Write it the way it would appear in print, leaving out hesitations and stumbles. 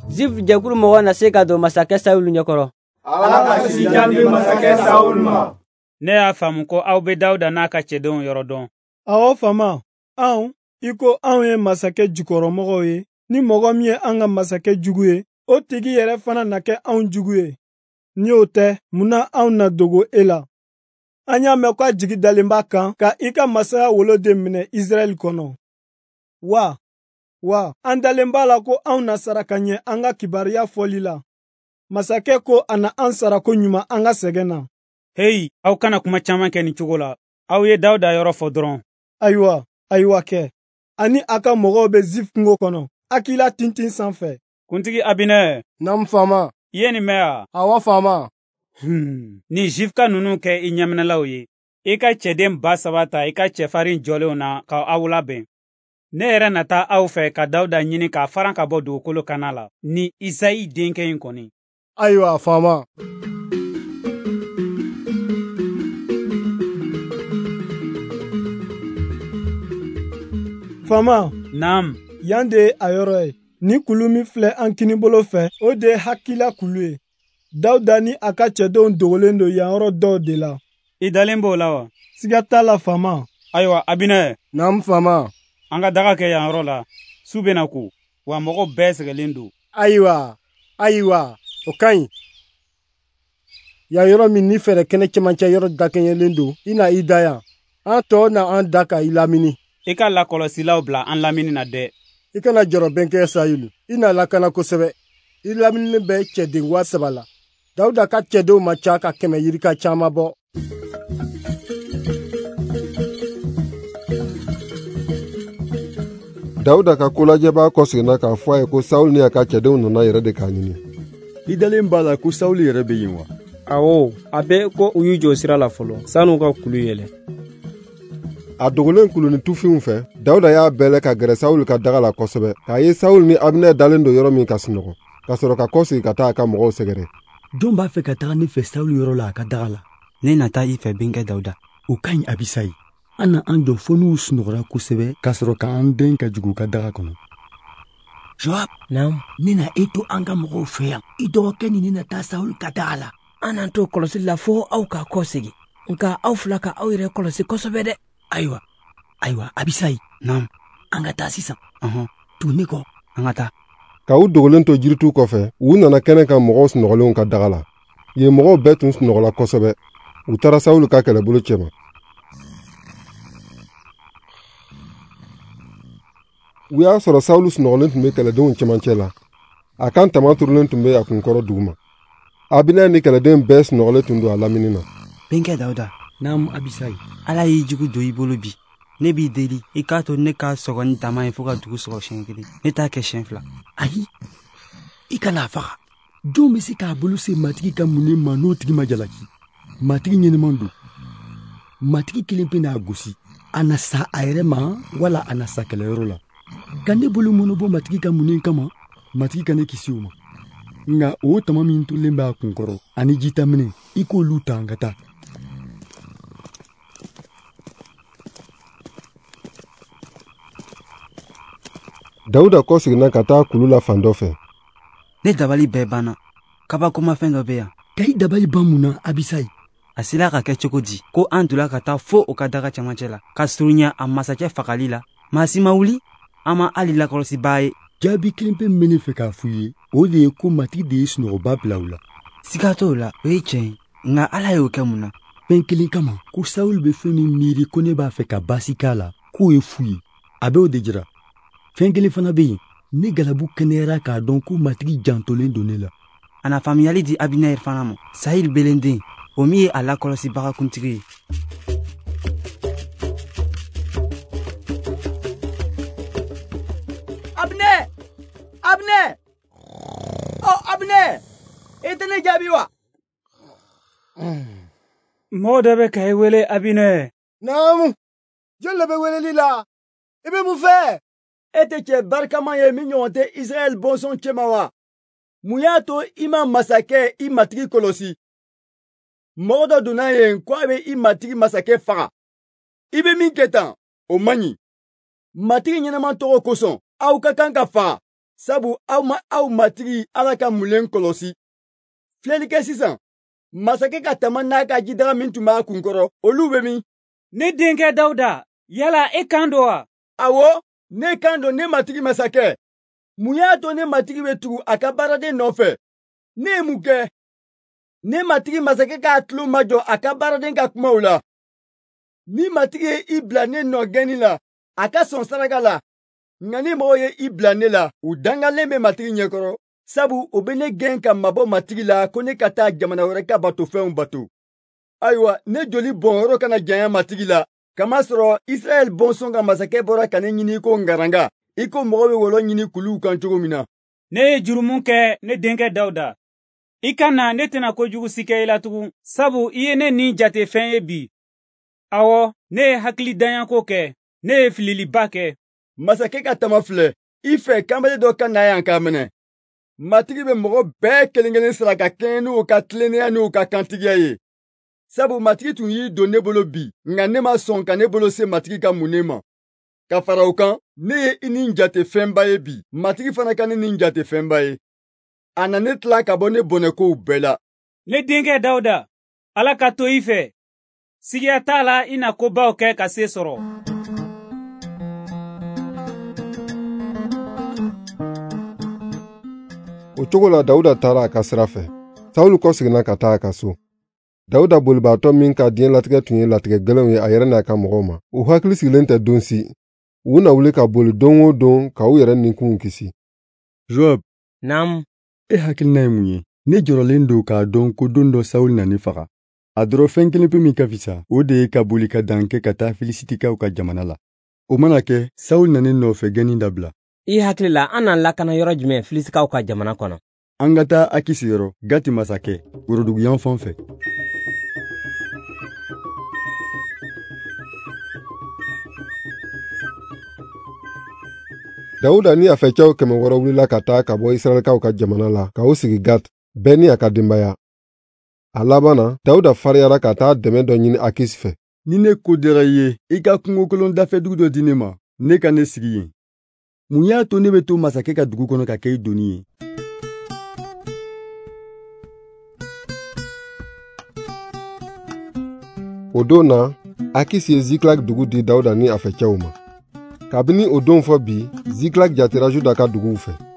Zif jɛkulu mɔgɔ na se ka don masakɛ Sawulu ɲɛkɔrɔ. Ala ka si jan di masakɛ Sawulu ma. Ne y'a faamu ko aw bɛ Dawuda n'a ka cɛdenw yɔrɔ dɔn. Awɔ faama, anw i ko anw ye masakɛ jukɔrɔmɔgɔw ye, ni mɔgɔ min ye an ka masakɛ jugu ye, o tigi yɛrɛ fana na kɛ anw jugu ye. Ni o tɛ, mun na anw na dogo e la? An y'a mɛn ko a jigi dalen b'a kan ka i ka masaya woloden minɛ Israɛl kɔnɔ. Wa an dalen b'a la ko anw na sara ka ɲɛ an ka kibaruya fɔli la. Masakɛ ko a na an sara ko ɲuman an ka sɛgɛn na. Heyi, aw kana kuma caman kɛ nin cogo la. Aw ye Dawuda yɔrɔ fɔ dɔrɔn. Ayiwa kɛ. Ani a ka mɔgɔw bɛ Zif kungo kɔnɔ, Akila tintin sanfɛ. Kuntigi Abinɛ. Naamu faama. I ye nin mɛn wa? Awɔ faama. Ni Zifka ninnu kɛ i ɲɛminɛlaw ye, i ka cɛden 3000 ta i ka cɛfarin jɔlenw na ka aw labɛn. Ne yɛrɛ na taa aw fɛ ka Dawuda ɲini k'a faran ka bɔ dugukolo kana la, ni Isayi denkɛ in kɔni. Ayiwa faama. Faama. Naam. Yan de ye a yɔrɔ ye. Ni kulu min filɛ an kinibolo fɛ, o de ye Hakila kulu ye. Dawuda ni a ka cɛdenw dogolen don yan yɔrɔ dɔw de la. I dalen b'o la wa? Siga t'a la faama. Ayiwa Abinɛ. Naam faama. An ka daga kɛ yan yɔrɔ la, su bɛna ko, wa mɔgɔw bɛɛ sɛgɛlen don. Ayiwa, o ka ɲi. Yan yɔrɔ min ni fɛɛrɛ kɛnɛ cɛmancɛ yɔrɔ dakɛɲɛlen don, i na i da yan. An tɔw na an da ka i lamini. I ka lakɔlɔsilaw bila an lamini na dɛ. I kana jɔrɔ bɛnkɛ Sayulu, i na lakana kosɛbɛ. I lamininen bɛ cɛden 3000 la. Dawuda ka cɛdenw ma ca ka 100 yirika caman bɔ. Dawuda ka kolajɛbaa kɔseginna k'a fɔ a ye ko Sawulu ni a ka cɛdenw nana yɛrɛ de k'a ɲini. I dalen b'a la ko Sawulu yɛrɛ bɛ yen wa? Awɔ, a bɛ ko u y'u jɔ sira la fɔlɔ san'u ka kulu yɛlɛ. A dogolen kulu ni tufinw fɛ, Dawuda y'a bɛlɛ ka gɛrɛ Sawulu ka daga la kosɛbɛ, k'a ye Sawulu ni Abinɛ dalen don yɔrɔ min ka sunɔgɔ, ka sɔrɔ ka kɔsegin ka taa a ka mɔgɔw sɛgɛrɛ. Jɔn b'a fɛ ka taga ne fɛ Sawulu yɔrɔ la a ka daga la? Ne na taa i fɛ bɛnkɛ Dawuda. O ka ɲi Abisayi. An na an jɔ fo n'u sunɔgɔra kosɛbɛ ka sɔrɔ k'an den ka jigin u ka daga kɔnɔ. Joab, naamu. Ne na e to an ka mɔgɔw fɛ yan. I dɔgɔkɛ ni ne na taa Sawulu ka daga la. An n'an to kɔlɔsili la fo aw ka kɔsegin. Nka aw fila ka aw yɛrɛ kɔlɔsi kosɛbɛ dɛ. Ayiwa, Abisayi. Naamu. An ka taa sisan. Ɔhɔn. Tugu ne kɔ. An ka taa. Ka u dogolen to jirituw kɔfɛ, u nana kɛnɛ kan mɔgɔw sunɔgɔlenw ka daga la. Yen mɔgɔw bɛɛ tun sunɔgɔla kosɛbɛ. U taara Sawulu ka kɛlɛbolo cɛma. U y'a sɔrɔ Sawulu sunɔgɔlen tun bɛ kɛlɛdenw cɛmancɛ la. A kan tama turulen tun bɛ a kunkɔrɔ duguma. Abinɛ ni kɛlɛden bɛɛ sunɔgɔlen tun don a lamini na. Bɛnkɛ Dawuda. Naamu Abisayi. Ala y'i jugu don i bolo bi. Ne b'i deli, i k'a to ne ka sɔgɔ ni tama ye fo ka dugu sɔgɔ siɲɛ kelen. Ne t'a kɛ siɲɛ fila. Ayi, i kana a faga. Jɔn bɛ se k'a bolo se matigi ka mun ma n'o tigi ma jalaki? Matigi ɲɛnɛman don. Matigi kelen pe n'a gosi. A na sa a yɛrɛ ma wala a na sa kɛlɛyɔrɔ la. Ka ne bolo mɔnɔ bɔ matigi ka mun kama, matigi ka ne kisi o ma. Nka o tama min tolen b'a kunkɔrɔ ani jitaminɛ, i k'olu ta an ka taa. Dawuda kɔseginna ka taa kulu la fan dɔ fɛ. Ne dabali bɛɛ banna. Kabakomafɛn dɔ bɛ yan. Ka i dabali ban mun na, Abisayi? A sera ka kɛ cogo di ko an donna ka taa fo o ka daga cɛmancɛ la, ka surunya a masakɛ fagali la? Maa si ma wuli, an ma hali lakɔlɔsibaa ye. Jaabi kelen pe min bɛ ne fɛ k'a f'u ye, o de ye ko matigi de ye sunɔgɔba bila u la. Siga t'o la, o ye tiɲɛ ye. Nka Ala y'o kɛ mun na? Fɛn kelen kama, ko Sawulu bɛ fɛn min miiri ko ne b'a fɛ ka baasi k'a la, k'o ye fu ye. A b'o de jira. Fɛn kelen fana bɛ yen, ne galabu kɛnɛyara k'a dɔn ko matigi jantolen don ne la. A na faamuyali di Abinɛr fana ma, Sayili belenden, o min ye a lakɔlɔsibaga kuntigi ye. Abinɛ! Abinɛ! Ɔ Abinɛ! I tɛ ne jaabi wa? Mɔgɔ dɔ bɛ ka i wele Abinɛ. Naamu, jɔn de bɛ weleli la? I bɛ mun fɛ? E tɛ cɛ barikama ye min ɲɔgɔn tɛ Israɛl bɔnsɔn cɛma wa? Mun y'a to i ma masakɛ i matigi kɔlɔsi? Mɔgɔ dɔ donna yen ko a bɛ i matigi masakɛ faga. I bɛ min kɛ tan, o man ɲi. Matigi ɲɛnama tɔgɔ kosɔn, aw ka kan ka faa, sabu aw ma aw matigi Ala ka mulen kɔlɔsi. Filɛli kɛ sisan, masakɛ ka tama n'a ka jidaga min tun b'a kunkɔrɔ, olu bɛ min? Ne denkɛ Dawuda, yala e kan don wa? Awɔ, ne kan don, ne matigi masakɛ. Mun y'a to ne matigi bɛ tugu a ka baaraden nɔfɛ? Ne ye mun kɛ? Ne matigi masakɛ k'a tulo majɔ a ka baaraden ka kumaw la. Ni matigi ye i bila ne nɔ gɛnni la, a ka sɔn saraka la. Nka ni mɔgɔw ye i bila ne la, u dangalen bɛ matigi ɲɛkɔrɔ, sabu o bɛ ne gɛn ka mabɔ matigi la ko ne ka taa jamana wɛrɛ ka batofɛnw bato. Ayiwa, ne joli bɔnyɔrɔ kana janya matigi la, kamasɔrɔ Israɛl bɔnsɔn ka masakɛ bɔra ka ne ɲini ko ngaranga, i ko mɔgɔ bɛ wɔlɔ ɲini kuluw kan cogo min na. Ne ye jurumu kɛ, ne denkɛ Dawuda. I ka na, ne tɛna kojugu si kɛ i la tugun, sabu i ye ne ni jate fɛn ye bi. Awɔ, ne ye hakilidanyako kɛ, ne ye fililiba kɛ. Masakɛ ka tama filɛ, i fɛ kanbele dɔ ka na yan k'a minɛ. Matigi bɛ mɔgɔ bɛɛ kelen-kelen sara ka kɛɲɛ n'u ka tilennenya n'u ka kantigiya ye. Sabu matigi tun y'i don ne bolo bi, nka ne ma sɔn ka ne bolo se matigi ka munnen ma. Ka fara o kan, ne ye i ni jate fɛnba ye bi, matigi fana ka ne ni jate fɛnba ye. A na ne tila ka bɔ ne bɔnɛkow bɛɛ la. Ne denkɛ Dawuda, Ala ka to i fɛ. Sigiya t'a la i na kobaw kɛ ka se sɔrɔ. O cogo la Dawuda taara a ka sira fɛ. Sawuli kɔseginna ka taa a ka so. Dawuda bolibaatɔ min ka diɲɛlatigɛ tun ye latigɛ gɛlɛnw ye a yɛrɛ n'a ka mɔgɔw ma, u hakili sigilen tɛ don si. U na wuli ka boli don o don ka u yɛrɛ nikunw kisi. Joab. Naamu. E hakilina ye mun ye? Ne jɔrɔlen don k'a dɔn ko don dɔ Sawuli na ne faga. A dɔrɔn fɛn kelen pe min ka fisa, o de ye ka boli ka dan kɛ ka taa Filisitikaw ka jamana la. O mana kɛ, Sawuli na ne nɔfɛ gɛnni dabila. I hakili la, an n'an lakana yɔrɔ jumɛn Filisitikaw ka jamana kɔnɔ? An ka taa Akisi yɔrɔ, Gati masakɛ, woroduguyan fan fɛ. Dawuda ni a fɛcɛw 600 wulila ka taa ka bɔ Israɛlkaw ka jamana la ka u sigi Gat, bɛɛ ni a ka denbaya. A laban na, Dawuda fariyara ka taa dɛmɛ dɔ ɲini Akisi fɛ. Ni ne ko diyara i ye, i ka kungokolon dafɛdugu dɔ di ne ma, ne ka ne sigi yen. Mun y'a to ne bɛ to masakɛ ka dugu kɔnɔ ka kɛ i doni ye? O don na, Akisi ye Ziklag dugu di Dawuda ni a fɛcɛw ma. Kabini o don fɔ bi, Ziklag jatera Juda ka duguw fɛ.